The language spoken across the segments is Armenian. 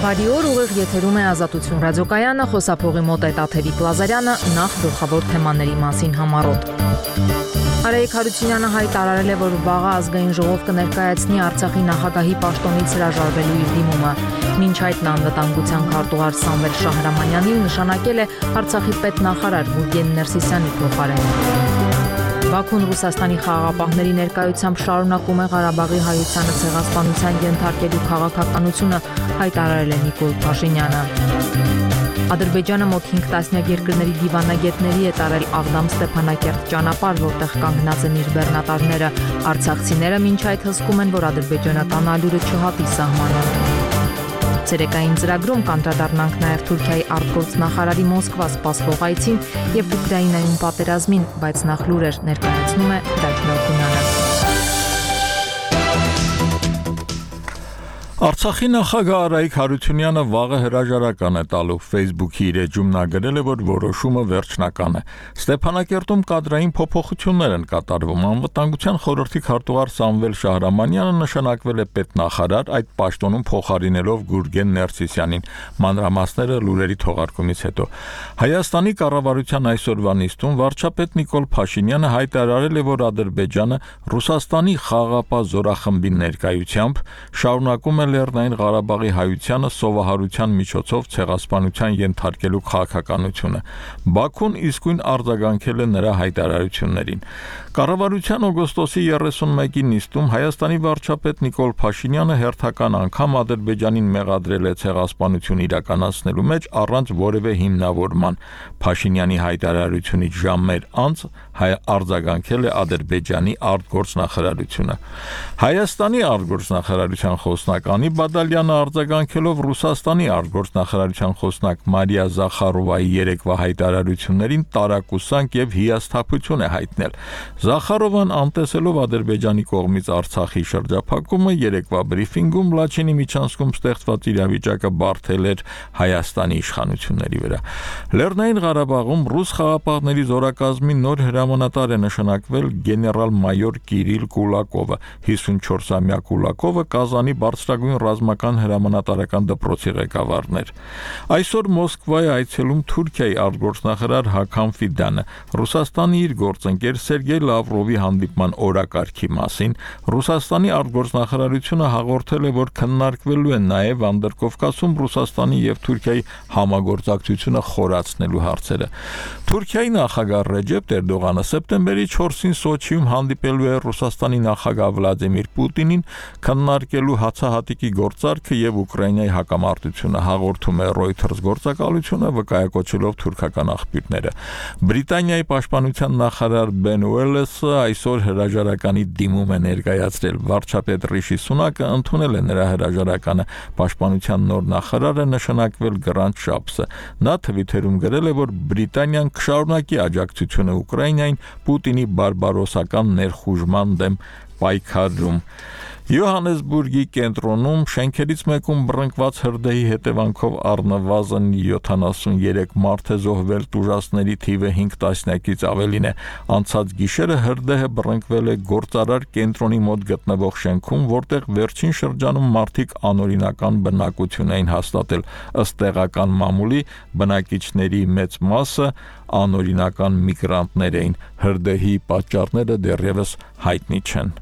Բարի օր, ուղիղ եթերում է Ազատություն ռադիոկայանը, խոսափողի մոտ է Տաթևիկ Լազարյանը, նախ գլխավոր թեմաների մասին համառոտ։ Արայիկ Հարությունյանը հայտարարել է, որ վաղը ազգային ժողով կներկայացնի Արցախի նախագահի պաշտոնից հրաժարվելու իր դիմումը։ Մինչ այդ նա անվտանգության քարտուղար Սամվել Շահրամանյանին նշանակել է Արցախի պետնախարար Գուրգեն Ներսիսյանի փոխարեն։ Բաքուն Ռուսաստանի խաղաղապահների ներկայությամբ շարունակում է Ղարաբաղի հայությանը ցեղասպանության ենթարկելու քաղաքականությունը, հայտարարել է Նիկոլ Փաշինյանը։ Ադրբեջանը մոտ 5 տասնյակ երկրների դիվանագետների է տարել Աղդամ-Ստեփանակերտ ճանապարհ, որտեղ կանգնած են իր բեռնատարները։ Արցախցիները մինչ այդ հսկում են, որ ադրբեջանական ալյուրը չհատի սահմանը։ Ցերեկային ծրագրում կանդրադառնանք նաև Թուրքիայի արտգործնախարարի Մոսկվա սպասվող այցին եւ Ուկրաինայում պատերազմին, բայց նախ լուրեր ներկայացնում է Դաջնոկունյանը։ Արցախի նախագահ Արայիկ Հարությունյանը վաղը հրաժարական է տալու Facebook-ի իր էջում նա գրել է, որ որոշումը վերջնական է։ Ստեփանակերտում կադրային փոփոխություններ են կատարվում։ Անվտանգության խորհրդի քարտուղար Սամվել Շահրամանյանը նշանակվել է պետնախարար, այդ պաշտոնում փոխարինելով Գուրգեն Ներսիսյանին։ Մանրամասները լուրերի թողարկումից հետո։ Հայաստանի կառավարության այսօրվա նիստում վարչապետ Նիկոլ Փաշինյանը հայտարարել է, որ Ադրբեջանը Ռուսաստանի խաղաղապահ զորախմբի ներկայությամբ շարունակում է Լեռնային Ղարաբաղի հայությանը սովահարության միջոցով ցեղասպանության ենթարկելու քաղաքականությունը։ Բաքուն իսկույն արձագանքել է նրա հայտարարություններին։ Կառավարության օգոստոսի 31-ի նիստում Հայաստանի վարչապետ Նիկոլ Փաշինյանը հերթական անգամ Ադրբեջանին մեղադրել է ցեղասպանություն իրականացնելու մեջ առանց որևէ հիմնավորման։ Փաշինյանի հայտարարությունից ժամեր անց արձագանքել է Ադրբեջանի արտգործնախարարությունը։ Հայաստանի արտգործնախարարության խոսնակ Անի Բադալյանը արձագանքելով Ռուսաստանի արտգործնախարարության խոսնակ Մարիա Զախարովայի երեկվա հայտարարություններին տարակուսանք եւ հիասթափություն է հայտնել։ Զախարովան անտեսելով Ադրբեջանի կողմից Արցախի շրջափակումը երեկվա բրիֆինգում Լաչինի միջանցքում ստեղծված իրավիճակը բարթել էր Հայաստանի իշխանությունների վրա։ Լեռնային Ղարաբաղում ռուս խաղաղապահների զորակազմի նոր հրամանատար է նշանակվել գեներալ-մայոր Կիրիլ Կուլակովը։ 54-ամյա Կուլակովը Կազանի բարձրագույն ռազմական հրամանատարական դպրոցի ղեկավարն էր։ Այսօր Մոսկվա է այցելում Թուրքիայի արտգործնախարար Հական Ֆիդանը։ Ռուսաստանի իր գործընկեր Սերգեյ Լավրովի հանդիպման օրակարգի մասին Ռուսաստանի արտգործնախարարությունը հաղորդել է, որ քննարկվելու են նաև Անդրկովկասում Ռուսաստանի եւ Թուրքիայի համագործակցությունը խորացնելու հարցերը։ Թուրքիայի նախագահ Ռեջեփ Էրդողանը սեպտեմբերի 4-ին Սոչիում հանդիպելու է Ռուսաստանի նախագահ Վլադիմիր Պուտինին, քննարկելու հացահատիկի գործարքը եւ Ուկրաինայի հակամարտությունը, հաղորդում է Reuters գործակալությունը, վկայակոչելով թուրքական աղբյուրները։ Բրիտանիայի պաշտպանության նախարար Բեն Ուելեսը այսօր հրաժարականի դիմում է ներկայացրել։ Վարչապետ Ռիշի Սունակը ընդունել է նրա հրաժարականը։ Պաշտպանության նոր նախարարը նշանակվել Գրանտ Շապսը։ Նա Թվիթերում գրել է, որ Բրիտանիան կշարունակի աջակցությունը Ուկրաինային Պուտինի բարբարոսական ներխուժման դեմ պայքարում։ Յոհանեսբուրգի կենտրոնում շենքերից մեկում բռնկված հրդեհի հետևանքով առնվազն 73 մարդ է զոհվել, տուժածների թիվը 5 տասնյակից ավելին է։ Անցած գիշերը հրդեհը բռնկվել է գործարար կենտրոնի մոտ գտնվող շենքում, որտեղ վերջին շրջանում մարդիկ անօրինական բնակություն էին հաստատել։ Ըստ տեղական մամուլի բնակիչների մեծ մասը անօրինական միգրանտներ էին։ Հրդեհի պատճառները դեռևս հայտնի չեն։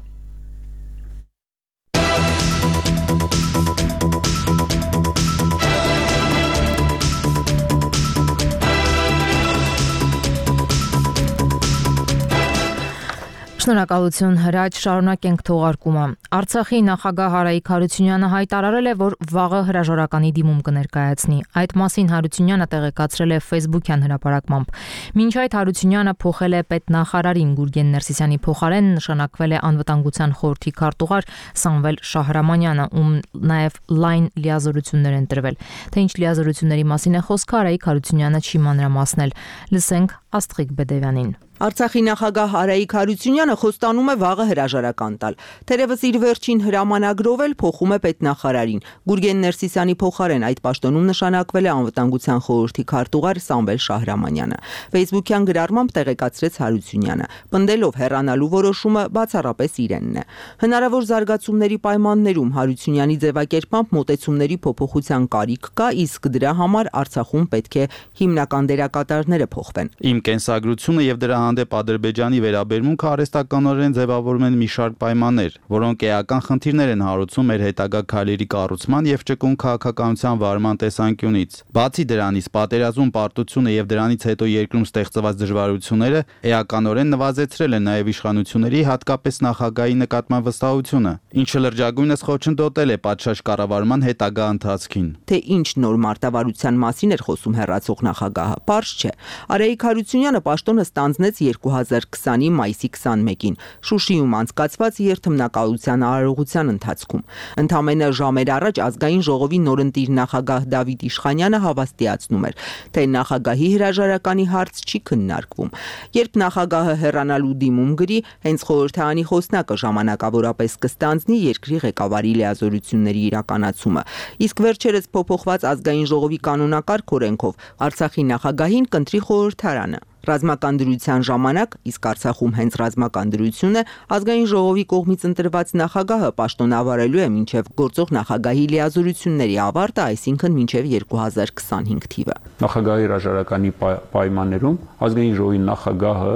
Շնորհակալություն Հրաչ, շարունակենք թողարկումը։ Արցախի նախագահ Արայիկ Հարությունյանը հայտարարել է, որ վաղը հրաժարականի դիմում կներկայացնի։ Այդ մասին Հարությունյանը տեղեկացրել է Facebook-յան հրապարակմամբ։ Մինչ այդ Հարությունյանը փոխել է պետնախարարին Գուրգեն Ներսիսյանի փոխարեն նշանակվել է անվտանգության խորհրդի քարտուղար Սամվել Շահրամանյանը, ում նաև լայն լիազորություններ են տրվել։ Թե ինչ լիազորությունների մասին է խոսքը, Արայիկ Հարությունյանը չի մանրամասնել։ Լսենք Աստղիկ Բեդևյանին։ Արցախի նախագահ Արայիկ Հարությունյանը խոստանում է վաղը հրաժարական տալ։ Թերևս իր վերջին հրամանագրով էլ փոխում է պետնախարարին։ Գուրգեն Ներսիսյանի փոխարեն այդ պաշտոնում նշանակվել է Անվտանգության խորհրդի քարտուղար Սամվել Շահրամանյանը։ Facebook-յան գրառմամբ տեղեկացրեց Հարությունյանը, պնդելով հեռանալու որոշումը բացառապես իրենն է։ Հնարավոր զարգացումների պայմաններում Հարությունյանի ձևակերպմամբ մոտեցումների փոփոխության կարիք կա, իսկ դրա համար Արցախում պետք է հիմնական դերակատարները փոխվեն։ Իմ կենսագրությունը եւ դրա հանդեպ Ադրբեջանի վերաբերմունքը արհեստականորեն ձևավորում են մի շարք պայմաններ, որոնք էական խնդիրներ են հարուցում մեր հետագա քայլերի կառուցման եւ ճկուն քաղաքականության վարման տեսանկյունից։ Բացի դրանից, պատերազմում պարտությունը եւ դրանից հետո երկրում ստեղծված դժվարությունները էականորեն նվազեցրել են նաեւ իշխանությունների, հատկապես նախագահի նկատմամբ վստահությունը, ինչը լրջագույնս խոչընդոտել է պատշաճ կառավարման հետագա ընթացքին։ Թե ինչ նոր մարտավարության մասին էր խոսում հեռացող նախագահը, պարզ չէ։ Արայիկ Հարությունյանը պաշտոնը ստանձնեց 2020-ի մայիսի 21-ին Շուշիում անցկացված երթմնակալության արարողության ընթացքում։ Ընդամենը ժամեր առաջ ազգային ժողովի նորընտիր նախագահ Դավիթ Իշխանյանը հավաստիացնում էր, թե նախագահի հրաժարականի հարց չի քննարկվում։ Երբ նախագահը հեռանալու դիմում գրի, հենց խորհրդարանի խոսնակը ժամանակավորապես կստանձնի երկրի ղեկավարի լիազորությունների իրականացումը։ Իսկ վերջերս փոփոխված ազգային ժողովի կանոնակարգ օրենքով Արցախի նախագահին կընտրի խորհրդարանը։ Ռազմական դրության ժամանակ, իսկ Արցախում հենց ռազմական դրություն է, ազգային ժողովի կողմից ընտրված նախագահը պաշտոնավարելու է մինչև գործող նախագահի լիազորությունների ավարտը, այսինքն մինչև 2025 թիվը։ Նախագահի հրաժարականի պայմաններում ազգային ժողովի նախագահը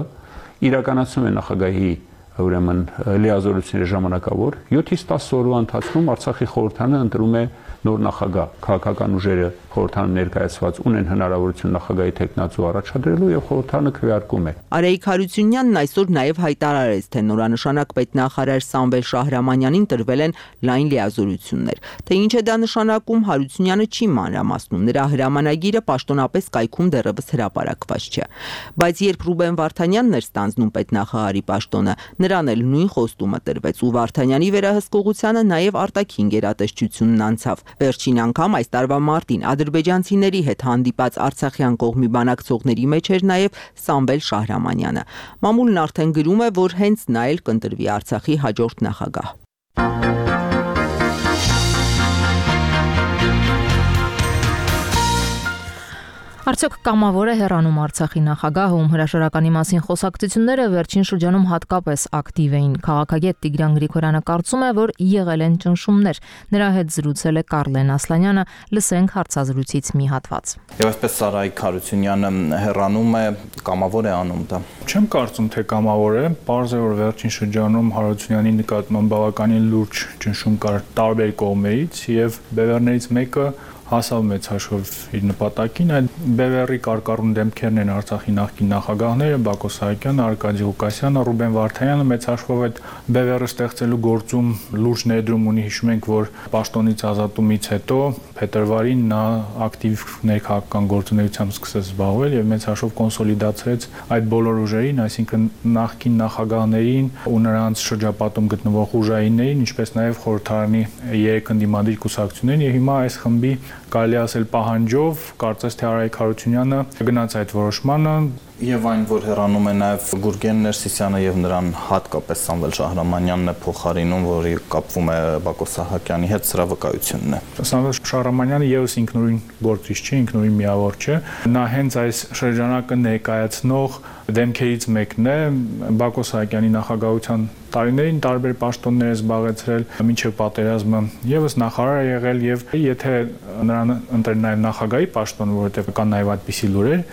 իրականացնում է նախագահի ուրեմն լիազորությունների ժամանակավոր 7-ից 10 օրվա ընթացքում Արցախի խորհրդարանը ընտրում է նոր նախագահ, քաղաքական ուժերը խորհրդարանում ներկայացված ունեն հնարավորություն նախագահի թեկնածու առաջադրելու եւ խորհրդարանը քվեարկում է։ Արայիկ Հարությունյանն այսօր նաեւ հայտարարեց, թե նորանշանակ պետնախարար Սամվել Շահրամանյանին տրվել են լայն լիազորություններ։ Թե ինչ է դա նշանակում, Հարությունյանը չի մանրամասնում։ Նրա հրամանագիրը պաշտոնապես կայքում դեռևս հրապարակված չէ։ Բայց երբ Ռուբեն Վարդանյանն էր ստանձնում պետնախարարի պաշտոնը, նրան էլ նույն խոստումը տրվեց ու Վարդանյանի վերահսկողությանը նաեւ արտաքին գերատեսչությունն անցավ։ Վերջին անգամ այս տարվա մարտին ադրբեջանցիների հետ հանդիպած արցախյան կողմի բանակցողների մեջ էր նաև Սամվել Շահրամանյանը։ Մամուլն արդեն գրում է, որ հենց նա էլ կընտրվի Արցախի հաջորդ նախագահ։ Արդյոք կամավոր է հեռանում Արցախի նախագահը, ում հրաժարականի մասին խոսակցությունները վերջին շրջանում հատկապես ակտիվ էին։ Քաղաքագետ Տիգրան Գրիգորյանը կարծում է, որ եղել են ճնշումներ։ Նրա հետ զրուցել է Կարլեն Ասլանյանը, լսենք հարցազրույցից մի հատված։ Եվ այսպես Արայիկ Հարությունյանը հեռանում է, կամավոր է անում դա։ Չեմ կարծում, թե կամավոր է, պարզ է, որ վերջին շրջանում Հարությունյանի նկատմամբ բավականին լուրջ ճնշում կար տարբեր կողմերից եւ բևեռներից մեկը հասավ մեծ հաշվով իր նպատակին, այդ բևեռի կարկառուն դեմքերն են Արցախի նախկին նախագահները Բակո Սահակյանը, Արկադի Ղուկասյանը, Ռուբեն Վարդանյանը մեծ հաշվով այդ բևեռը ստեղծելու գործում լուրջ ներդրում ունի, հիշում ենք, որ պաշտոնից ազատումից հետո փետրվարին նա ակտիվ ներքաղաքական գործունեությամբ սկսեց զբաղվել եւ մեծ հաշվով կոնսոլիդացրեց այդ բոլոր ուժերին, այսինքն նախկին նախագահներին ու նրանց շրջապատում գտնվող ուժայիններին, ինչպես նաեւ խորհրդարանի երեք ընդդիմադիր կուսակցություններին եւ հիմա այս խմբի կարելի ասել պահանջով կարծես թե Արայիկ Հարությունյանը գնաց այդ որոշմանը եւ այն, որ հեռանում է նաեւ Գուրգեն Ներսիսյանը եւ նրան հատկապես Սամվել Շահրամանյանն է փոխարինում, որի կապվում է Բակո Սահակյանի հետ, սրա վկայությունն է։ Սամվել Շահրամանյանը եւս ինքնուրույն գործիչ չէ, ինքնուրույն միավոր չէ։ Նա հենց այս շրջանակը ներկայացնող դեմքերից մեկն է, Բակո Սահակյանի նախագահության տարիներին տարբեր պաշտոններ է զբաղեցրել, մինչև պատերազմը եւս նախարար է եղել եւ եթե նրան ընտրեն նաեւ նախագահի պաշտոնը, որովհետեւ կան նաեւ այդպիսի լուրեր,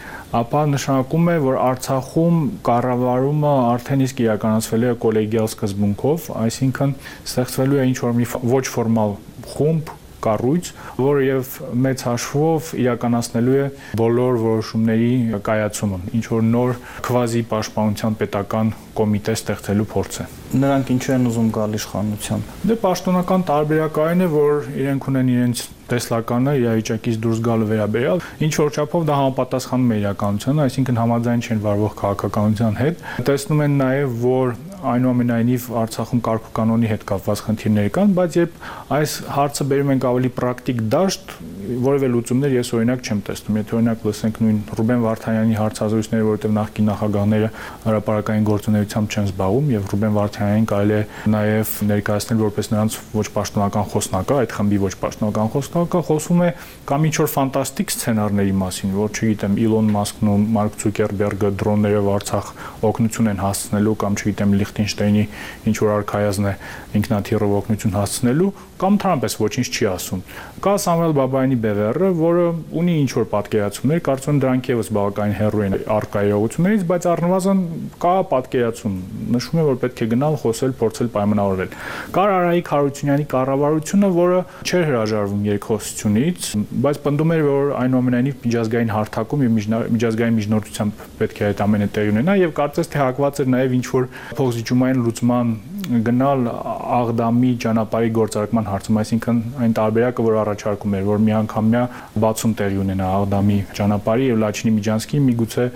ապա նշանակում է, որ Արցախում կառավարումը արդեն իսկ իրականացվել է կոլեգիալ սկզբունքով, այսինքն ստեղծվելու է ինչ-որ մի ոչ ֆորմալ խումբ, կառույց, որը եւ մեծ հաշվով իրականացնելու է բոլոր որոշումների կայացումը, ինչ որ նոր քվազի պաշտպանության պետական կոմիտե ստեղծելու փորձ է։ Նրանք ինչու են ուզում գալ իշխանության։ Դե պաշտոնական տարբերակային է, որ իրենք ունեն իրենց տեսլականը իրավիճակից դուրս գալու վերաբերյալ, ինչ որ չափով դա համապատասխանում է իրականությանը, այսինքն համաձայն չեն վարվող քաղաքականության հետ։ Տեսնում են նաեւ, որ այնուամենայնիվ Արցախում կարգուկանոնի հետ կապված խնդիրներ կան, բայց երբ այս հարցը բերում ենք ավելի պրակտիկ դաշտ, որևէ լուծումներ ես օրինակ չեմ տեսնում։ Եթե օրինակ լսենք նույն Ռուբեն Վարդանյանի հարցազրույցները, որովհետև նախկին նախագահները հրապարակային գործունեությամբ չեն զբաղվում եւ Ռուբեն Վարդանյանին կարելի է նաեւ ներկայացնել որպես նրանց ոչ պաշտոնական խոսնակը, այդ խմբի ոչ պաշտոնական խոսնակը, խոսում է կամ ինչ-որ ֆանտաստիկ սցենարների մասին, որ չգիտեմ Իլոն Մասկն ու Մարկ Ցուկերբերգը դրոններով Արցախ օգնություն են հասցնելու կամ չգիտեմ Լիխտենշտեյնի ինչ-որ արքայազն է ինքնաթիռով օգնություն հասցնելու, կամ թարամպես ոչինչ չի ասում։ Կա Սամվել Բաբայանի բևեռը, որը ունի ինչ-որ պատկերացումներ, կարծում եմ դրանք եւս բավականին հեռու են արկայողություններից, բայց առնվազն կա պատկերացում, նշում է, որ պետք է գնալ, խոսել, փորձել պայմանավորվել։ Կար Արայիկ Հարությունյանի կառավարությունը, որը չէր հրաժարվում երկխոսությունից, բայց պնդում էր, որ այնուամենայնիվ միջազգային հարթակում եւ միջազգային միջնորդությամբ պետք է այդ ամենը տեղի ունենա եւ կարծես թե հակված էր նաեւ ինչ-որ փոխզիջումային լուծման գնալ Աղդամի ճանապարհի գործարկման հարցում, այսինքն այն տարբերակը, որ առաջարկում էր, որ միանգամյա բացում տեղի ունենա Աղդամի ճանապարհի եւ Լաչինի Միջանցքի, միգուցե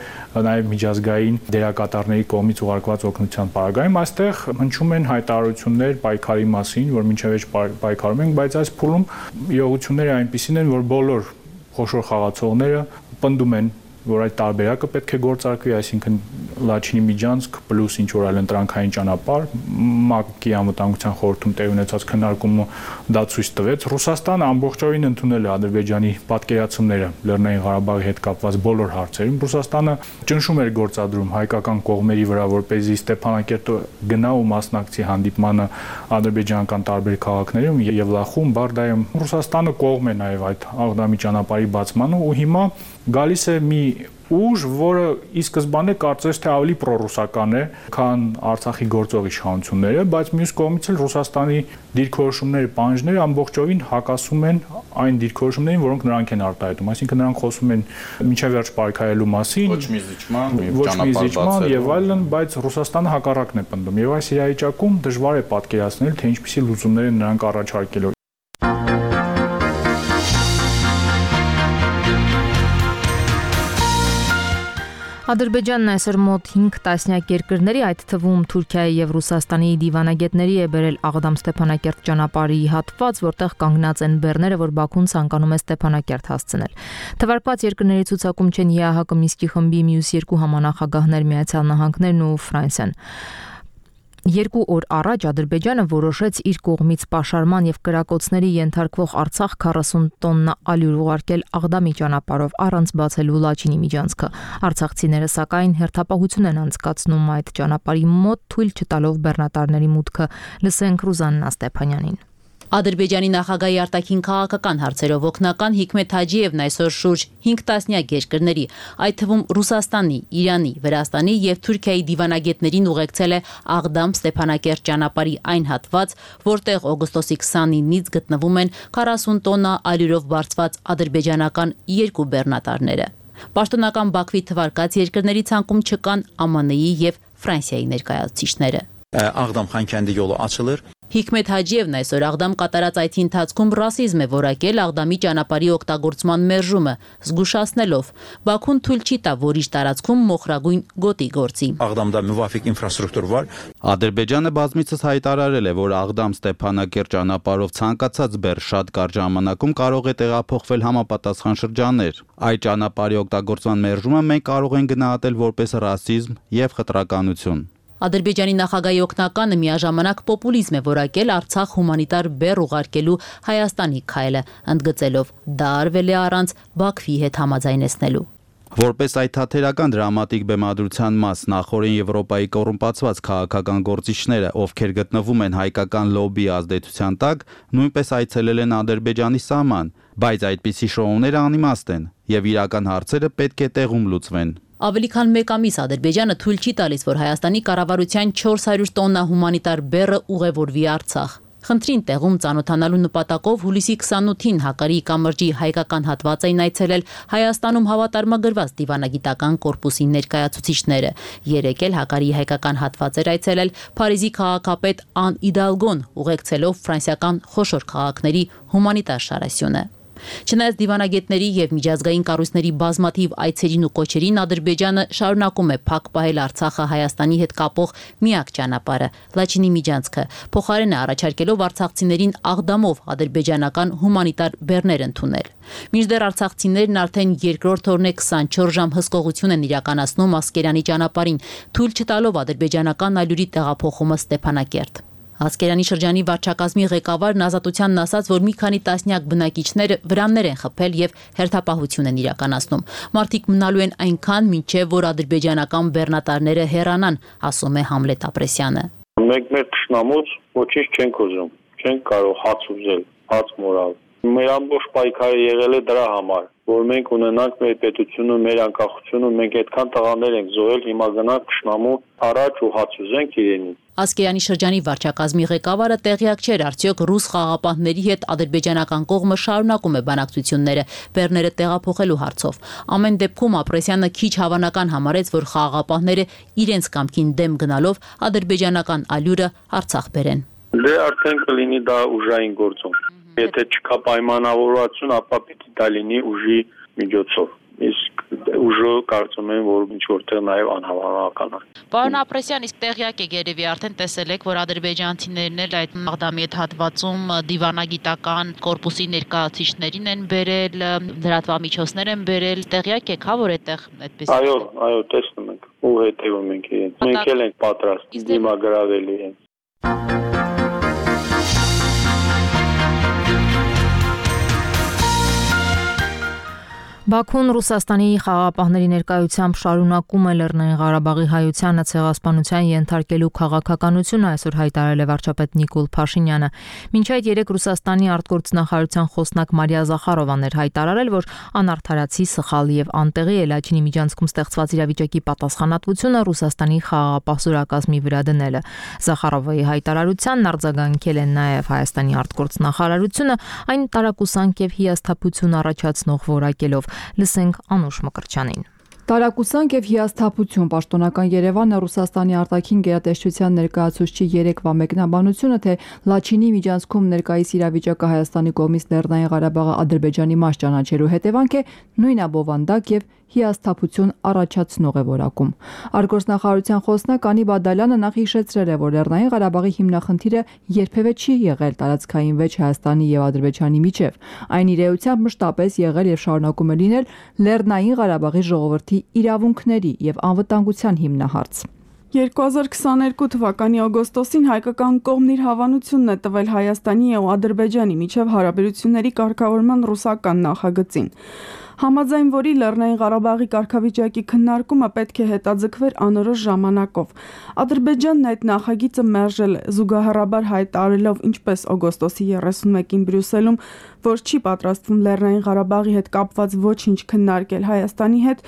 նաեւ միջազգային դերակատարների կողմից ուղարկված օգնության պարագայում, այստեղ հնչում են հայտարարություններ պայքարի մասին, որ մինչև էջ պայքարում ենք, բայց այս փուլում իրողությունները այնպիսին են, որ բոլոր խոշոր խաղացողները պնդում են, որ այդ տարբերակը պետք է գործարկվի, այսինքն Լաչինի Միջանցք պլյուս ինչ որ այլ ընտրանքային ճանապարհ, ՄԱԿ-ի անվտանգության խորհրդում տեղի ունեցած քննարկումը դա ցույց տվեց։ Ռուսաստանը ամբողջովին ընդունել է Ադրբեջանի պատկերացումները Լեռնային Ղարաբաղի հետ կապված բոլոր հարցերում։ Ռուսաստանը ճնշում էր գործադրում հայկական կողմերի վրա, որպեսզի Ստեփանակերտը գնա ու մասնակցի հանդիպմանը ադրբեջանական տարբեր քաղաքներում եւ Լախում, Բարդայում։ Ռուսաստանը կողմ է նաեւ այդ Աղդամի ճանապարհի բացմանը ու հիմա գալիս է մի ուժ, որը ի սկզբանե կարծես թե ավելի պրոռուսական է, քան Արցախի գործող իշխանությունները, բայց մյուս կողմից էլ Ռուսաստանի դիրքորոշումները, պահանջները ամբողջովին հակասում են այն դիրքորոշումներին, որոնք նրանք են արտահայտում։ Այսինքն նրանք խոսում են միջև վերջ պայքարելու մասին, ոչ մի զիջման եւ այլն, բայց Ռուսաստանը հակառակն է պնդում։ Եվ այս իրավիճակում դժվար է պատկերացնել, թե ինչպիսի լուծումներ են նրանք առաջարկելու։ Ադրբեջանն այսօր մոտ 5 տասնյակ երկրների, այդ թվում Թուրքիայի եւ Ռուսաստանի դիվանագետների է բերել Աղդամ-Ստեփանակերտ ճանապարհի հատված, որտեղ կանգնած են բեռները, որ Բաքուն ցանկանում է Ստեփանակերտ հասցնել։ Թվարկված երկրների ցուցակում չեն ԵԱՀԿ Մինսկի խմբի մյուս երկու համանախագահներ Միացյալ Նահանգներն ու Ֆրանսիան։ 2 օր առաջ Ադրբեջանը որոշեց իր կողմից պաշարման եւ կրակոցների ենթարկվող Արցախ 40 տոննա ալյուր ուղարկել Աղդամի ճանապարհով առանց բացելու Լաչինի միջանցքը։ Արցախցիները սակայն հերթապահություն են անցկացնում այդ ճանապարհի մոտ, թույլ չտալով բեռնատարների մուտքը։ Լսենք Ռուզաննա Ստեփանյանին։ Ադրբեջանի նախագահի արտաքին քաղաքական հարցերով օգնական Հիկմեթ Հաջիևն այսօր շուրջ 5 տասնյակ երկրների, այդ թվում Ռուսաստանի, Իրանի, Վրաստանի եւ Թուրքիայի դիվանագետներին ուղեկցել է Աղդամ-Ստեփանակերտ ճանապարհի այն հատված, որտեղ օգոստոսի 29-ից գտնվում են 40 տոննա ալյուրով բարձված ադրբեջանական 2 բեռնատարները։ Պաշտոնական Բաքվի թվարկած երկրների ցանկում չկան ԱՄՆ-ի եւ Ֆրանսիայի ներկայացուցիչները։ Աղդամ-Խանքանդի յոլը açılır. Հիկմեթ Հաջիևն այսօր Աղդամ կատարած այցի ընթացքում ռասիզմ է որակել Աղդամի ճանապարհի օգտագործման մերժումը, զգուշացնելով Բաքուն թույլ չի տա, որ իր տարածքում մոխրագույն գոտի գործի։ Աղդամda müvafiq infrastruktur var. Ադրբեջանը բազմիցս հայտարարել է, որ Աղդամ-Ստեփանակերտ ճանապարհով ցանկացած բեռ շատ կարճ ժամանակում կարող է տեղափոխվել համապատասխան շրջաններ։ Այդ ճանապարհի օգտագործման մերժումը մենք կարող ենք գնահատել որպես ռասիզմ եւ խտրականություն։ Ադրբեջանի նախագահի օգնականը միաժամանակ պոպուլիզմ է որակել Արցախ հումանիտար բեռ ուղարկելու Հայաստանի քայլը, ընդգծելով դա արվել է առանց Բաքվի հետ համաձայնեցնելու։ Որպես այդ թատերական դրամատիկ բեմադրության մաս նախորեն Եվրոպայի կոռումպացված քաղաքական գործիչները, ովքեր գտնվում են հայկական լոբբի ազդեցության տակ, նույնպես այցելել են Ադրբեջանի սահման, բայց այդպիսի շոուները անիմաստ են եւ իրական հարցերը պետք է տեղում լուծվեն։ Ավելի քան 1 ամիս Ադրբեջանը թույլ չի տալիս, որ Հայաստանի կառավարության 400 տոննա հումանիտար բեռը ուղևորվի Արցախ։ Խնդրին տեղում ծանոթանալու նպատակով հուլիսի 28-ին Հակարի կամրջի հայկական հատված էին այցելել Հայաստանում հավատարմագրված դիվանագիտական կորպուսի ներկայացուցիչները։ Երեկ էլ Հակարի հայկական հատված էր այցելել Փարիզի քաղաքապետ Ան Իդալգոն, ուղեկցելով ֆրանսիական խոշոր քաղաքների հումանիտար շարասյունը։ Չնայած դիվանագետների եւ միջազգային կառույցների բազմաթիվ այցերին ու կոչերին, Ադրբեջանը շարունակում է փակ պահել Արցախը Հայաստանի հետ կապող միակ ճանապարհը՝ Լաչինի միջանցքը, փոխարեն է առաջարկելով արցախցիներին աղդամով ադրբեջանական հումանիտար բեռներ ընդունել։ Մինչդեռ արցախցիներն արդեն երկրորդ օրն է 24 ժամ հսկողություն են իրականացնում Ասկերանի ճանապարհին, թույլ չտալով ադրբեջանական ալյուրի տեղափոխումը Ստեփանակերտ։ Ասկերանի շրջանի վարչակազմի ղեկավարն Ազատությանն ասաց, որ մի քանի տասնյակ բնակիչները վրաններ են խփել եւ հերթապահություն են իրականացնում։ Մարդիկ մնալու են այնքան, մինչեւ որ ադրբեջանական բեռնատարները հեռանան, ասում է Համլետ Ապրեսյանը։ Մենք մեր ճշնամուց ոչինչ չենք ուզում, չենք կարող հաց ուզել, հաց մորալ։ Մեր ամբողջ պայքարը եղել է դրա համար, որ մենք ունենանք մեր պետությունը, մեր անկախությունը, մենք այդքան տղաներ ենք զոհել, հիմա գնանք ճշնամու առաջ ու հաց ուզենք իրենից։ Ասկերանի շրջանի վարչակազմի ղեկավարը տեղյակ չէր, արդյոք ռուս խաղաղապահների հետ ադրբեջանական կողմը շարունակում է բանակցությունները բեռները տեղափոխելու հարցով։ Ամեն դեպքում Ապրեսյանը քիչ հավանական համարեց, որ խաղաղապահները իրենց կամքին դեմ գնալով ադրբեջանական ալյուրը Արցախ բերեն։ Դե արդեն կլինի դա ուժային գործում։ Եթե չկա պայմանավորվածություն, ապա պիտի դա լինի ուժի միջոցով։ Իսկ ուժը կարծում եմ, որ ինչ որտեղ նաև անհավանական է։ Պարոն Ապրեսյան, իսկ տեղյակ եք երևի արդեն տեսել եք, որ ադրբեջանցիներն էլ այդ Մաղդամի այդ հատվածում դիվանագիտական կորպուսի ներկայացուցիչներին են բերել, լրատվամիջոցներ են բերել, տեղյակ եք, հա, որ այդտեղ այդպես։ Այո, տեսնում ենք ու հետևում ենք իրենց։ Մենք էլ ենք պատրաստ դիմագրավել իրենց։ Բաքուն Ռուսաստանի խաղաղապահների ներկայությամբ շարունակում է Լեռնային Ղարաբաղի հայությանը ցեղասպանության ենթարկելու քաղաքականությունը, այսօր հայտարարել է վարչապետ Նիկոլ Փաշինյանը։ Մինչ այդ երեք Ռուսաստանի արտգործնախարարության խոսնակ Մարիա Զախարովան էր հայտարարել, որ անարդարացի, սխալ եւ անտեղի է Լաչինի միջանցքում ստեղծված իրավիճակի պատասխանատվությունը Ռուսաստանի խաղաղապահ զորակազմի վրա դնելը։ Զախարովայի հայտարարությանն արձագանքել է նաեւ Հայաստանի արտգործնախարարությունը, այն տարակուսանք եւ հիասթափություն առաջացնող որակելով։ Լսենք Անուշ Մկրտչյանին։ Տարակուսանք եւ հիասթափություն պաշտոնական Երևանը Ռուսաստանի արտաքին գերատեսչության ներկայացուցչի երեկվա մեկնաբանությունը, թե Լաչինի միջանցքում ներկայիս իրավիճակը Հայաստանի կողմից Լեռնային Ղարաբաղը Ադրբեջանի մաս ճանաչելու հետևանք է, նույնաբովանդակ եւ հիասթափություն առաջացնող է որակում։ Արտգործնախարարության խոսնակ Անի Բադալյանը նախ հիշեցրել է, որ Լեռնային Ղարաբաղի հիմնախնդիրը երբևէ չի եղել տարածքային վեճ Հայաստանի եւ Ադրբեջանի միջև։ Այն իր էությամբ մշտապես եղել եւ շարունակում է լինել Լեռնային Ղարաբաղի ժողովրդի իրավունքների եւ անվտանգության հիմնահարց։ 2022 թվականի օգոստոսին հայկական կողմն իր հավանությունն է տվել Հայաստանի ու Ադրբեջանի միջև հարաբերությունների կարգավորման ռուսական նախագծին։ Համաձայն որի Լեռնային Ղարաբաղի կարգավիճակի քննարկումը պետք է հետաձգվեր անորոշ ժամանակով։ Ադրբեջանն այդ նախագիծը մերժել է, զուգահեռաբար հայտարարելով ինչպես օգոստոսի 31-ին Բրյուսելում, որ չի պատրաստվում Լեռնային Ղարաբաղի հետ կապված ոչինչ քննարկել Հայաստանի հետ,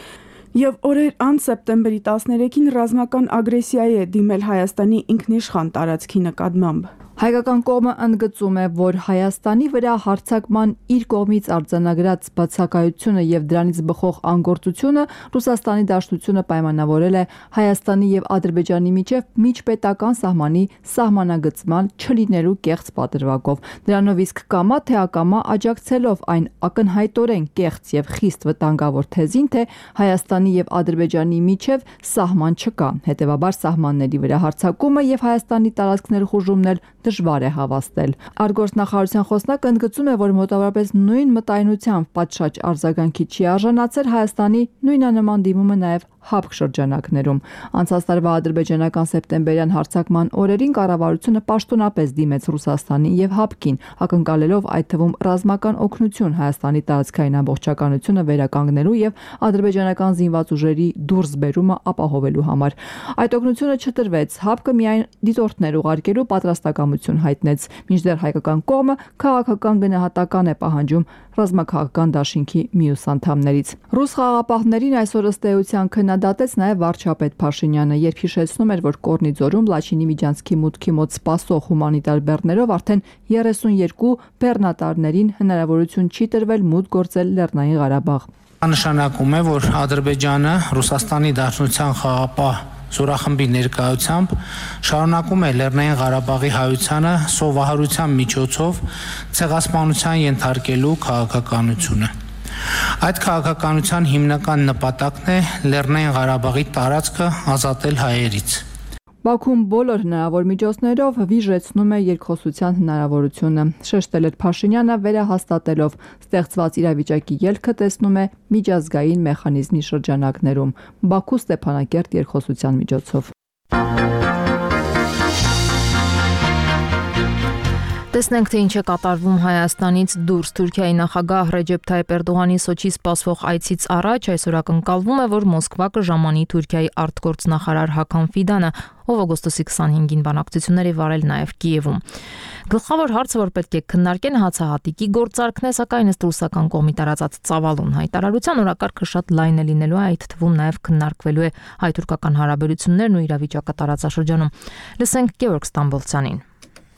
եւ օրեր անց սեպտեմբերի 13-ին ռազմական ագրեսիայի է դիմել Հայաստանի ինքնիշխան տարածքի նկատմամբ։ Հայկական կողմը ընդգծում է, որ Հայաստանի վրա հարձակման իր կողմից արձանագրած բացակայությունը եւ դրանից բխող անգործությունը Ռուսաստանի Դաշնությունը պայմանավորել է Հայաստանի եւ Ադրբեջանի միջև միջպետական սահմանի սահմանագծման չլինելու կեղծ պատրվակով։ Դրանով իսկ կամա թե ակամա աջակցելով այն ակնհայտորեն կեղծ եւ խիստ վտանգավոր թեզին, թե Հայաստանի եւ Ադրբեջանի միջև սահման չկա։ Հետևաբար սահմանների վրա հարձակումը եւ Հայաստանի տարածքներ խուժումն էլ դժվար է հավաստել։ Արտգործնախարարության խոսնակը ընդգծում է, որ մոտավորապես նույն մտայնությամբ պատշաճ արձագանքի չի արժանացել Հայաստանի նույնանման դիմումը նաև ՀԱՊԿ շրջանակներում։ Անցած տարվա ադրբեջանական սեպտեմբերյան հարձակման օրերին կառավարությունը պաշտոնապես դիմեց Ռուսաստանին եւ ՀԱՊԿ-ին, ակնկալելով այդ թվում ռազմական օգնություն Հայաստանի տարածքային ամբողջականությունը վերականգնելու եւ ադրբեջանական զինված ուժերի դուրսբերումը ապահովելու համար։ Այդ օգնությունը չտրվեց, ՀԱՊԿ-ը միայն դիտորդներ ուղարկելու պատրաստակամություն հայտնեց, մինչդեռ հայկական կողմը քաղաքական գնահատական է պահանջում ռազմաքաղաքական դաշինքի մյուս անդամներից։ Ռուս խաղաղապահներին այսօր ըստ էության քննադատեց նաև վարչապետ Փաշինյանը, երբ հիշեցնում էր, որ Կորնի ձորում Լաչինի միջանցքի մուտքի մոտ սպասող հումանիտար բեռներով արդեն 32 բեռնատարներին հնարավորություն չի տրվել մուտք գործել Լեռնային Ղարաբաղ։ Նշանակում է, որ Ադրբեջանը Ռուսաստանի Դաշնության խաղաղապահ զորախմբի ներկայությամբ շարունակում է Լեռնային Ղարաբաղի հայությանը սովահարության միջոցով ցեղասպանության ենթարկելու քաղաքականությունը։ Այդ քաղաքականության հիմնական նպատակն է Լեռնային Ղարաբաղի տարածքը ազատել հայերից։ Բաքուն բոլոր հնարավոր միջոցներով վիժեցնում է երկխոսության հնարավորությունը, շեշտել էր Փաշինյանը, վերահաստատելով ստեղծված իրավիճակի ելքը տեսնում է միջազգային մեխանիզմի շրջանակներում, Բաքու Ստեփանակերտ երկխոսության միջոցով։ Տեսնենք, թե ինչ է կատարվում Հայաստանից դուրս։ Թուրքիայի նախագահ Ռեջեփ Թայիփ Էրդողանի Սոչի սպասվող այցից առաջ այսօր ակնկալվում է, որ Մոսկվա կժամանի Թուրքիայի արտգործնախարար Հական Ֆիդանը, ով օգոստոսի 25-ին բանակցություններ է վարել նաև Կիևում։ Գլխավոր հարցը, որ պետք է քննարկեն, հացահատիկի գործարքն է, սակայն ըստ ռուսական կողմի տարածած ծավալուն հայտարարության օրակարգը շատ լայն է լինելու, այդ թվում նաև քննարկվելու է հայ-թուրքական հարաբերություններն ու իրավիճակը տարածաշրջանում։ Լսենք Գեորգ Ստամբոլցյանին։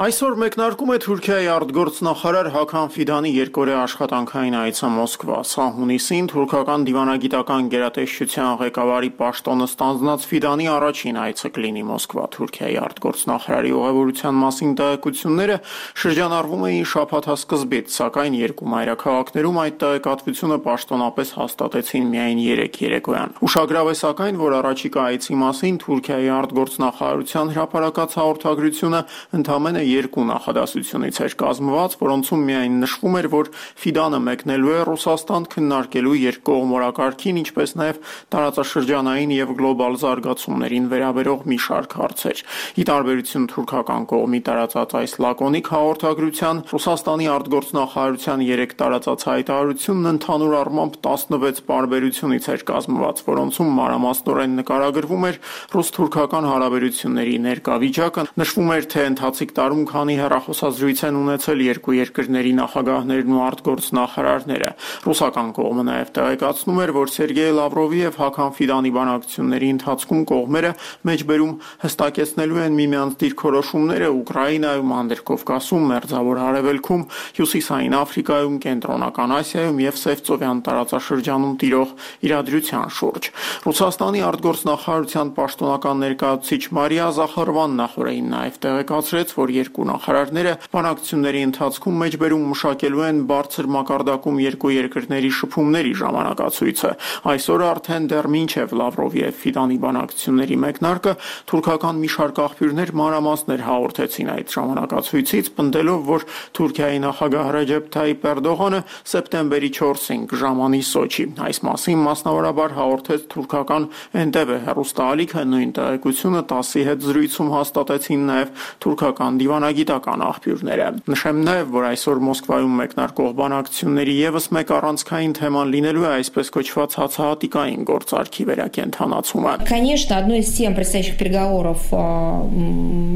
Այսօր մեկնարկում է Թուրքիայի արտգործնախարար Հական Ֆիդանի երկօրյա աշխատանքային այցը Մոսկվա։ Սա հունիսին թուրքական դիվանագիտական գերատեսչության ղեկավարի պաշտոնը ստանձնած Ֆիդանի առաջին այցը կլինի Մոսկվա։ Թուրքիայի արտգործնախարարի ուղևորության մասին տեղեկությունները շրջանառվում էին շաբաթասկզբից, սակայն երկու մայրաքաղաքներում այդ տեղեկատվությունը պաշտոնապես հաստատեցին միայն 3 երեկոյան։ Ուշագրավ է սակայն, որ առաջիկա այցի մասին Թուրքիայի արտգործնախարարության հրապարակած հաղորդագրությունը ընդամենը երկու նախադասությունից էր կազմված, որոնցում միայն նշվում էր, որ Ֆիդանը մեկնելու է Ռուսաստան քննարկելու երկկողմ օրակարգին, ինչպես նաև տարածաշրջանային եւ գլոբալ զարգացումներին վերաբերող մի շարք հարցեր։ Ի տարբերություն թուրքական կողմի տարածած այս լակոնիկ հաղորդագրության, Ռուսաստանի արտգործնախարարության 3 տարածած հայտարարությունն ընդհանուր առմամբ 16 պարբերությունից էր կազմված, որոնցում մանրամասնորեն նկարագրվում էր ռուս-թուրքական հարաբերությունների ներկա վիճակը, նշվում էր, թե ընթացիկ տարում քանի հեռախոսազրույց են ունեցել երկու երկրների նախագահներն ու արտգործնախարարները։ Ռուսական կողմը նաև տեղեկացնում էր, որ Սերգեյ Լավրովի եւ Հական Ֆիդանի բանակցությունների ընթացքում կողմերը մեջբերում հստակեցնելու են միմյանց դիրքորոշումները Ուկրաինայում, Անդրկովկասում, Մերձավոր Հարևելքում, Հյուսիսային Աֆրիկայում, Կենտրոնական Ասիայում եւ Սևծովյան տարածաշրջանում տիրող իրադրության շուրջ։ Ռուսաստանի արտգործնախարարության պաշտոնական ներկայացուցիչ Մարիա Զախարովան նախորդին նաև տեղեկացրեց, որ երկու նախարարները բանակցությունների ընթացքում մեջբերում մշակելու են բարձր մակարդակում երկու երկրների շփումների ժամանակացույցը։ Այսօր արդեն դեռ մինչև Լավրովի եւ Ֆիդանի բանակցությունների մեկնարկը թուրքական մի շարք աղբյուրներ մանրամասներ հաղորդեցին այդ ժամանակացույցից, պնդելով, որ Թուրքիայի նախագահ Ռեջեփ Թայիփ Էրդողանը սեպտեմբերի 4-ին կժամանի Սոչի։ Այս մասին մասնավորաբար հաղորդեց թուրքական Էնտեբե հեռուստաալիքը, նույն տեղեկությունը ՏԱՍ-ի հետ զրույցում հաստատեցին նաև թուրքական դիվանագիտական աղբյուրները։ Նշեմ նաև, որ այսօր Մոսկվայում մեկնարկող բանակցությունների եւս մեկ առանցքային թեման լինելու է այսպես կոչված հացահատիկային գործարքի վերակենդանացումը։ Конечно, одной из тем предстоящих переговоров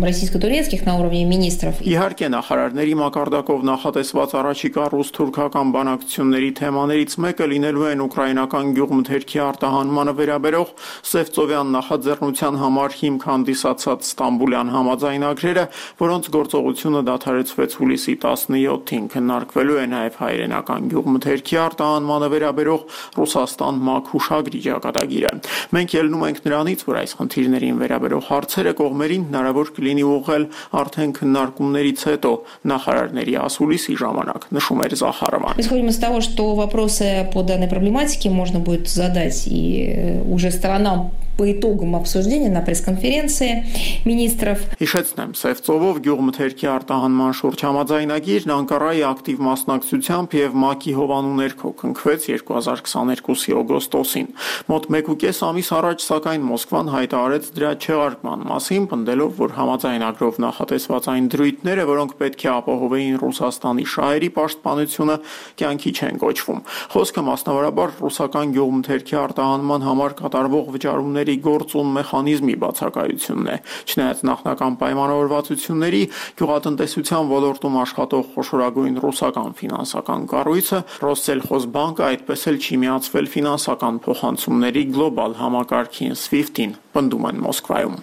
российско-турецких на уровне министров. Իհարկե, նախարարների մակարդակով նախատեսված առաջիկա ռուս-թուրքական բանակցությունների թեմաներից մեկը լինելու են ուկրաինական գյուղմթերքի արտահանմանը վերաբերող Սևծովյան նախաձեռնության համար հիմք հանդիսացած Ստամբուլյան համաձայնագրերը, որոնց գործողությունը դադարեցվեց հուլիսի 17-ին, քննարկվելու է նաև հայրենական գյուղմթերքի արտահանմանը վերաբերող Ռուսաստան-ՄԱԿ հուշագրի ճակատագիրը։ Մենք ելնում ենք նրանից, որ այս խնդիրներին վերաբերող հարցերը կողմերին հնարավոր կլինի ուղղել արդեն քննարկումներից հետո նախարարների ասուլիսի ժամանակ, նշում էր Զախարովան։ Исходим из того, что вопросы по данной проблематике можно будет задать и уже сторонам по итогам обсуждения на пресс-конференции министров. Հիշեցնեմ, Սևծովով գյուղմթերքի արտահանման շուրջ համաձայնագիրն Անկարայի ակտիվ մասնակցությամբ եւ ՄԱԿ-ի հովանու ներքո կնքվեց 2022-ի օգոստոսին։ Մոտ 1.5 ամիս առաջ, սակայն Մոսկվան հայտարարեց դրա չեղարկման մասին, պնդելով, որ համաձայնագրով նախատեսված այն դրույթները, որոնք պետք է ապահովեին Ռուսաստանի շահերի պաշտպանությունը, կյանքի չեն կոչվում։ Խոսքը մասնավորաբար ռուսական գյուղմթերքի արտահանման համար կատարվող վճարումների գործուն մեխանիզմի բացակայությունն է։ Չնայած նախնական պայմանավորվածությունների, գյուղատնտեսության ոլորտում աշխատող խոշորագույն ռուսական ֆինանսական կառույցը Ռոսսելխոզբանկը այդպես էլ չի միացվել ֆինանսական փոխանցումների գլոբալ համակարգին SWIFT-ին, պնդում են Մոսկվայում։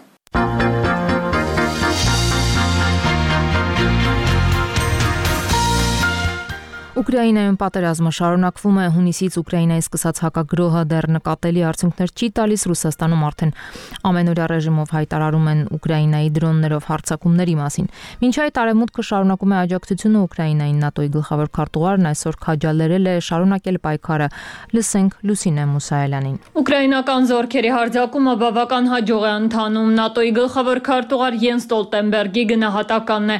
Ուկրաինայում պատերազմը շարունակվում է, հունիսից Ուկրաինայի սկսած հակագրոհը դեռ նկատելի արդյունքներ չի տալիս, Ռուսաստանում արդեն ամենօրյա ռեժիմով հայտարարում են Ուկրաինայի դրոններով հարձակումների մասին։ Մինչ այդ Արևմուտքը շարունակում է աջակցությունը Ուկրաինային ՆԱՏՕ-ի գլխավոր քարտուղարն այսօր քաջալերել է շարունակել պայքարը։ Լսենք Լուսինե Մուսայելյանին։ Ուկրաինական զորքերի հարձակումը բավական հաջող է ընթանում, ՆԱՏՕ-ի գլխավոր քարտուղար Յենս Ստոլտենբերգի գնահատականն է։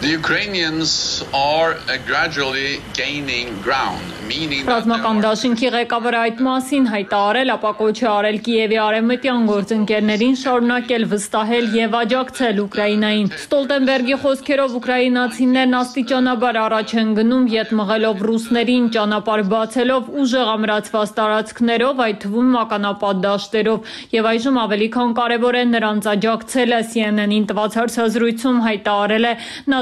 The Ukrainians are gradually gaining ground, meaning that Ռազմական դաշինքի ղեկավարը այդ մասին հայտարարել, ապա կոչ է արել Կիևի արևմտյան գործընկերներին շարունակել վստահել եւ աջակցել Ուկրաինային։ Ստոլտենբերգի խոսքերով ուկրաինացիներն աստիճանաբար առաջ են գնում, յետ մղելով ռուսներին, ճանապարհ բացելով ուժեղ ամրացված տարածքներով, այդ թվում մականապատ դաշտերով, եւ այժմ ավելի քան կարեւոր է նրանց աջակցելը, CNN-ին տված հարցազրույցում հայտարարել է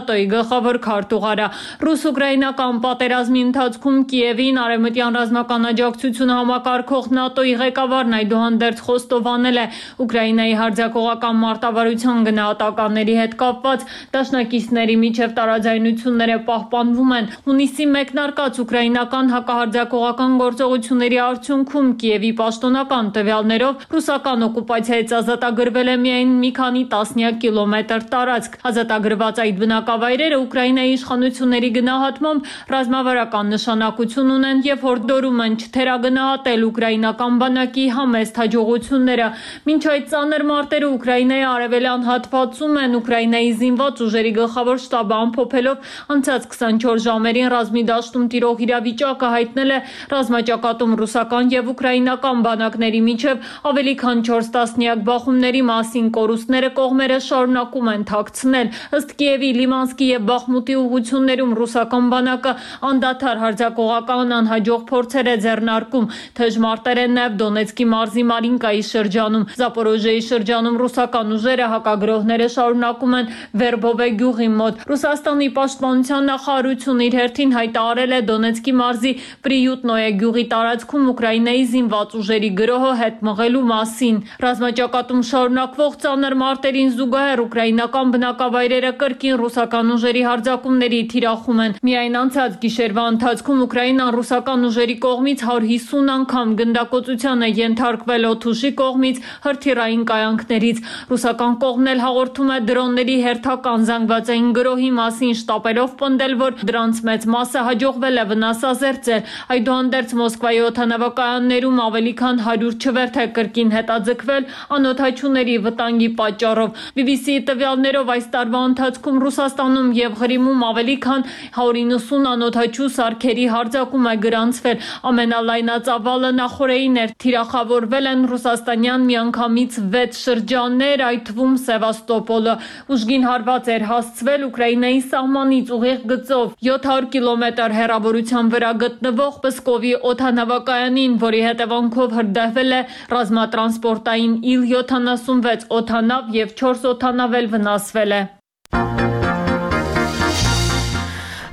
ՆԱՏՕ-ի գլխավոր քարտուղարը։ Ռուս-ուկրաինական պատերազմի ընթացքում Կիևին արևմտյան ռազմական աջակցությունը համակարգող ՆԱՏՕ-ի ղեկավարն այդուհանդերձ խոստովանել է Ուկրաինայի հարձակողական մարտավարության գնահատականների հետ կապված դաշնակիցների միջև տարաձայնությունները պահպանվում են։ Հունիսի մեկնարկած ուկրաինական հակահարձակողական գործողությունների արդյունքում Կիևի պաշտոնական տվյալներով ռուսական օկուպացիայից ազատագրվել է միայն մի քանի տասնյակ կիլոմետր տարածք։ Ազատագրված այդ բնակավայրերը Ուկրաինայի իշխանությունների գնահատմամբ ռազմավարական նշանակություն ունեն եւ հորդորում են չթերագնահատել ուկրաինական բանակի համեստ հաջողությունները։ Մինչ այդ ծանր մարտերը Ուկրաինայի արևելյան հատվածում են, Ուկրաինայի զինված ուժերի գլխավոր շտաբը ամփոփելով անցած 24 ժամերին ռազմի դաշտում տիրող իրավիճակը հայտնել է ռազմաճակատում ռուսական եւ ուկրաինական բանակների միջև ավելի քան 4 տասնյակ բախումների մասին կորուստները կողմերը շարունակում են թաքցնել։ Ըստ Կիևի, Լիմանսկի եւ Բախմուտի ուղություններում ռուսական բանակը անդադար հարձակողական անհաջող փորձեր է ձեռնարկում։ Թեժ մարտեր են նաեւ Դոնեցկի մարզի Մարինկայի շրջանում։ Զապորոժիեի շրջանում ռուսական ուժերը հակագրոհները շարունակում են Վերբովե գյուղի մոտ։ Ռուսաստանի պաշտպանության նախարարությունը իր հերթին հայտարարել է Դոնեցկի մարզի Պրիյուտնոյե գյուղի տարածքում Ուկրաինայի զինված ուժերի գրոհը հետ մղելու մասին։ Ռազմաճակատում շարունակվող ծանր մարտերին զուգահեռ ուկրաինական բնակավայրերը կրկին ռուսական ուժերի հարձակումների թիրախում են։ Միայն անցած գիշերվա ընթացքում Ուկրաինան ռուսական ուժերի կողմից 150 անգամ գնդակոծության է ենթարկվել օդուժի կողմից հրթիռային կայանքներից։ Ռուսական կողմն էլ հաղորդում է դրոնների հերթական զանգվածային գրոհի մասին, շտապելով պնդել, որ դրանց մեծ մասը հաջողվել է վնասազերծել։ Այդուհանդերձ Մոսկվայի օդանավակայաններում ավելի քան 100 չվերթ է կրկին հետաձգվել անօդաչուների վտանգի պատճառով։ BBC-ի տվյալներով այս տարվա ընթացքում Ռուսաստանում եւ Ղրիմում ավելի քան 190 անօդաչու սարքերի հարձակում է գրանցվել։ Ամենալայնածավալը նախորդին էր։ Թիրախավորվել են ռուսաստանյան միանգամից 6 շրջաններ, այդ թվում Սևաստոպոլը։ Ուժգին հարված էր հասցվել Ուկրաինայի սահմանից ուղիղ գծով 700 կիլոմետր հեռավորության վրա գտնվող Պսկովի օդանավակայանին, որի հետևանքով հրդեհվել է ռազմատրանսպորտային Il-76 օդանավ եւ 4 օդանավ էլ վնասվել է։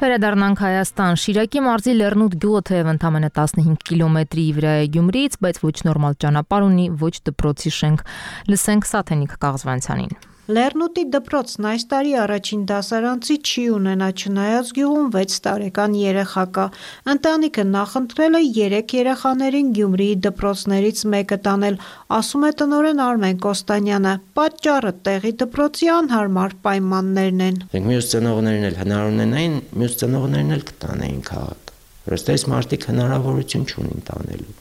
Վերադառնանք Հայաստան։ Շիրակի մարզի Լեռնուտ գյուղը թեև ընդամենը 15 կիլոմետրի վրա է Գյումրիից, բայց ոչ նորմալ ճանապարհ ունի, ոչ դպրոցի շենք։ Լսենք Սաթենիկ Կաղզվանցյանին։ Լեռնուտի դպրոցն այս տարի առաջին դասարանցի չի ունենա, չնայած գյուղում 6 տարեկան երեխա կա։ Ընտանիքը նախընտրել է 3 երեխաներին Գյումրիի դպրոցներից մեկը տանել, ասում է տնօրեն Արմեն Կոստանյանը։ Պատճառը տեղի դպրոցի անհարմար պայմաններն են։ Մյուս ծնողներն էլ հնար ունենային, մյուս ծնողներն էլ կտանեին քաղաք։ Որովհետեւ այս մարդիկ հնարավորություն չունին տանելու։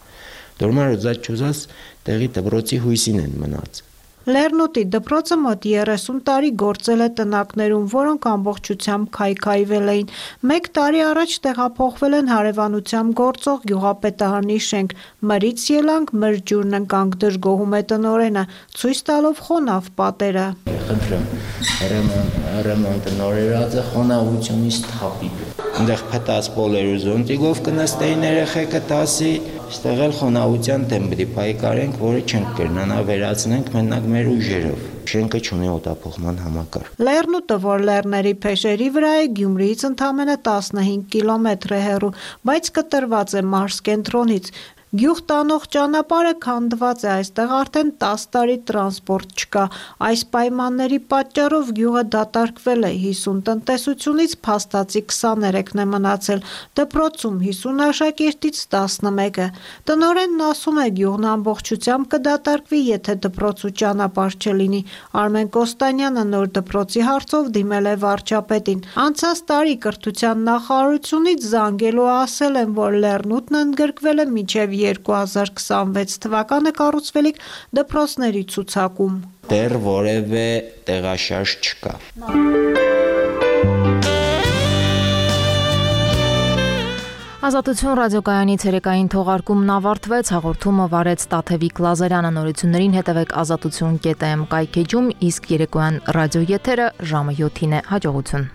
Դորմար ուզած չուզած տեղի դպրոցի հույսին են մնաց։ Լեռնուտի դպրոցը մոտ 30 տարի գործել է տնակներում, որոնք ամբողջությամբ քայքայվել էին։ 1 տարի առաջ տեղափոխվել են հարևանությամբ գործող գյուղապետարանի շենք։ Մրից ելանք, մրջուրն ընկանք, դժգոհում է տնօրենը, ցույց տալով խոնավ պատերը։ Խնդրեմ, ռեմոնտը նորերած է, խոնավությունից թափի։ Այնտեղ փտած պոլերուզոնտիկով կնստեին երեխեքը 10-ի, այստեղ էլ խոնավության դեմ պիտի պայքարենք, որը չենք կրնանա վերացնենք մենակ մեր ուժերով։ Շենքը չունի օդափոխման համակարգ։ Լեռնուտը, որ լեռների փեշերի վրա է, Գյումրիից ընդամենը 15 կիլոմետր է հեռու, բայց կտրված է մարզ կենտրոնից։ Գյուղ տանող ճանապարհը քանդված է, այստեղ արդեն 10 տարի տրանսպորտ չկա։ Այս պայմանների պատճառով գյուղը դատարկվել է, 50 տնտեսությունից փաստացի 23-ն է մնացել, դպրոցում 50 աշակերտից 11-ը։ Տնօրենն ասում է, գյուղն ամբողջությամբ կդատարկվի, եթե դպրոց ու ճանապարհ չլինի։ Արմեն Կոստանյանը նոր դպրոցի հարցով դիմել է վարչապետին։ Անցած տարի կրթության նախարարությունից զանգելու ասել են, որ Լեռնուտն ընդգրկվել է մինչև 2026 թվականը կառուցվելիք դպրոցների ցուցակում։ Դեռ որևէ տեղաշարժ չկա։ Ազատություն ռադիոկայանի ցերեկային թողարկումն ավարտվեց, հաղորդումը վարեց Տաթևիկ Լազարյանը, նորություններին հետևեք azatutun.am կայքեջում, իսկ երեկոյան ռադիո եթերը ժամը 7-ին է, հաջողություն։